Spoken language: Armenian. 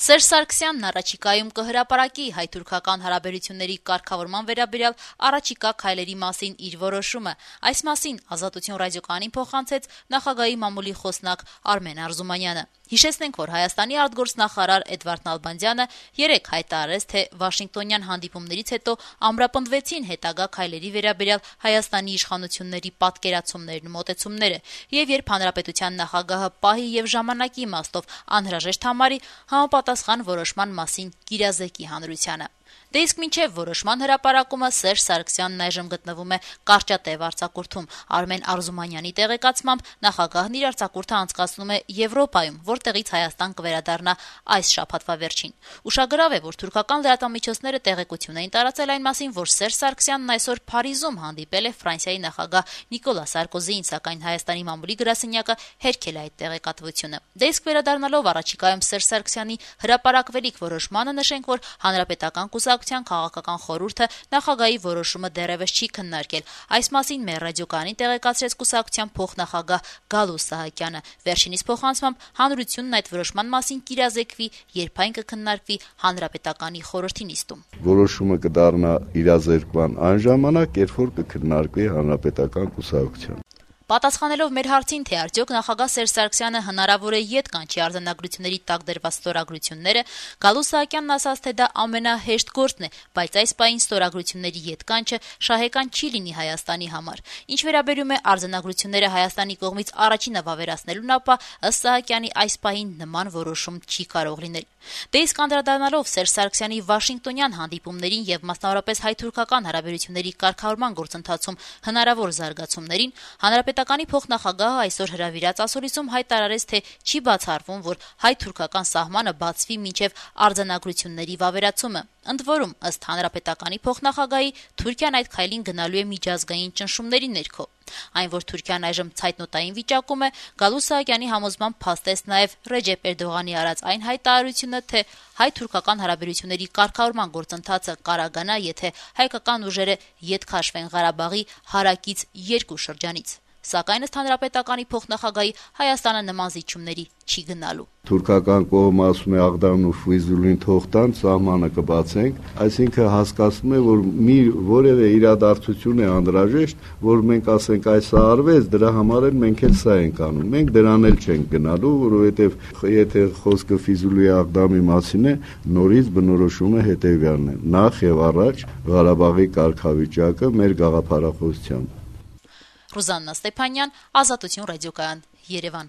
Սերժ Սարգսյանն առաջիկայում կհրապարակի հայ-թուրքական հարաբերությունների կարգավորման վերաբերյալ առաջիկա քայլերի մասին իր որոշումը։ Այս մասին Ազատություն ռադիոկայանին փոխանցեց նախագահի մամուլի խոսնակ Արմեն Արզումանյանը։ Հիշեցնենք, որ Հայաստանի արտգործնախարար Էդվարդ Նալբանդյանը երեկ հայտարարեց, թե Վաշինգտոնյան հանդիպումներից հետո ամրապնդվեցին հետագա քայլերի վերաբերյալ Հայաստանի իշխանությունների պատկերացումներն ու մոտեցումները, եւ երբ հանրապետության նախագահը պահի եւ ժամանակի իմաստով անհրաժեշտ համարի, համապատասխան որոշման մասին կիրազեկի հանրությանը։ Դե իսկ մինչև որոշման հրապարակումը Սերժ Սարգսյանն այժմ գտնվում է կարճատև արձակուրդում։ Արմեն Արզումանյանի տեղեկացմամբ նախագահն իր արձակուրդը անցկացնում է Եվրոպայում, որտեղից Հայաստան կվերադառնա այս շաբաթվա վերջին։ Ուշագրավ է, որ թուրքական լրատվամիջոցները տեղեկություն էին տարածել այն մասին, որ Սերժ Սարգսյանն այսօր Փարիզում հանդիպել է Ֆրանսիայի նախագահ Նիկոլա Սարկոզիին, սակայն Հայաստանի մամուլի գրասենյակը հերքել է այդ տեղեկատվությունը։ Դե իսկ վերադառնալով առաջիկայում Սերժ Սարգսյանի հրապարակվելիք որոշմանը, նշենք, որ հանրապետական կուսակցության քաղաքական խորհուրդը նախագահի որոշումը դեռևս չի քննարկել։ Այս մասին մեր ռադիոկայանին տեղեկացրեց կուսակցության փոխնախագահ Գալուս Սահակյանը։ Վերջինիս փոխանցմամբ հանրությունն այդ որոշման մասին կիրազեկվի, երբ այն կքննարկվի հանրապետականի խորհրդի նիստում։ Որոշումը կդառնա իրազեկման այն ժամանակ, երբ որ կքննարկվի հանրապետական կուսակցության։ Պատասխանելով մեր հարցին, թե արդյոք նախագահ Սերժ Սարգսյանը հնարավոր է ետ կանչի արձանագրությունների տակ դրված ստորագրությունները, Գալուս Սահակյանն ասաց, թե դա ամենահեշտ գործն է, բայց այս պահին ստորագրությունների ետ կանչը շահեկան չի լինի Հայաստանի համար։ Ինչ վերաբերում է արձանագրությունները Հայաստանի կողմից առաջինը վավերացնելուն, ապա ըստ Սահակյանի այս պահին նման որոշում չի կարող լինել։ Դե իսկ անդրադառնալով Սերժ Սարգսյանի Վաշինգտոնյան հանդիպումներին եւ մասնավորապես հայ-թուրքական հարաբերությունների կարգավորման գործընթացում հնարավոր զարգացումներին, հանրապետականի փոխնախագահը այսօր հրավիրած ասուլիսում հայտարարեց, թե չի բացառվում, որ հայ-թուրքական սահմանը բացվի մինչեւ արձանագրությունների վավերացումը։ Ընդ որում, ըստ հանրապետականի փոխնախագահի, Թուրքիան այդ քայլին գնալու է միջազգային ճնշումների ներքո։ Այն, որ Թուրքիան այժմ ցայտնոտային վիճակում է, Գալուս Սահակյանի համոզմամբ փաստեց նաև Ռեջեփ Էրդողանի արած այն հայտարարությունը, թե հայ-թուրքական հարաբերությունների կարգավորման գործընթացը կարագանա, եթե հայկական ուժերը ետ քաշվեն Ղարաբաղի հարակից երկու շրջանից։ Սակայն ըստ հանրապետականի փոխնախագահի, Հայաստանը նման զիջումների չի գնալու։ Թուրքական կողմը ասում է Աղդամն ու Ֆույզուլին թող տան, սահմանը կբացենք, այսինքն հասկացնում է, որ մի որևէ իրադարձություն է անհրաժեշտ, որ մենք ասենք այսա արվեց, դրա համար էլ մենք էլ սա ենք անում։ Մենք դրան էլ չենք գնալու, որովհետև եթե խոսքը Ֆիզուլի Աղդամի մասին է, նորից բնորոշումը հետևյալն է. նախ եւ առաջ Ղարաբաղի կարգավիճակը մեր գաղափարախոսությամբ։ Ռուզաննա Ստեփանյան, Ազատություն ռադիոկայան, Երևան։